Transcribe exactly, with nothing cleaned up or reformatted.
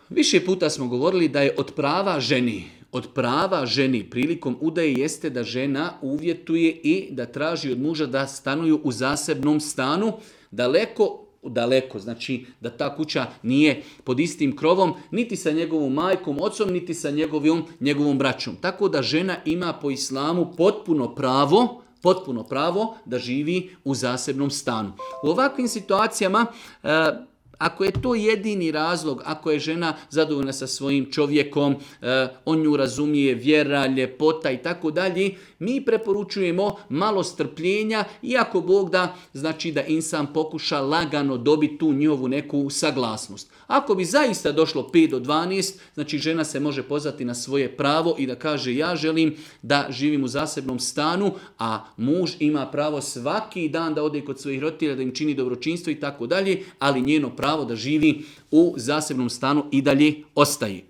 Više puta smo govorili da je od prava ženi, od prava ženi prilikom udaje jeste da žena uvjetuje i da traži od muža da stanuju u zasebnom stanu, daleko daleko, znači da ta kuća nije pod istim krovom, niti sa njegovom majkom, ocom, niti sa njegovom, njegovom braćom. Tako da žena ima po islamu potpuno pravo, potpuno pravo da živi u zasebnom stanu. U ovakvim situacijama, e, ako je to jedini razlog, ako je žena zadovoljna sa svojim čovjekom, eh, on nju razumije, vjera, ljepota i tako dalje, mi preporučujemo malo strpljenja, iako Bog da, znači da insan pokuša lagano dobiti tu njihovu neku saglasnost. Ako bi zaista došlo pet do dvanaest, znači žena se može pozvati na svoje pravo i da kaže ja želim da živim u zasebnom stanu, a muž ima pravo svaki dan da ode kod svojih roditelja, da im čini dobročinstvo i tako dalje, ali njeno pravo da živi u zasebnom stanu i dalje ostaje.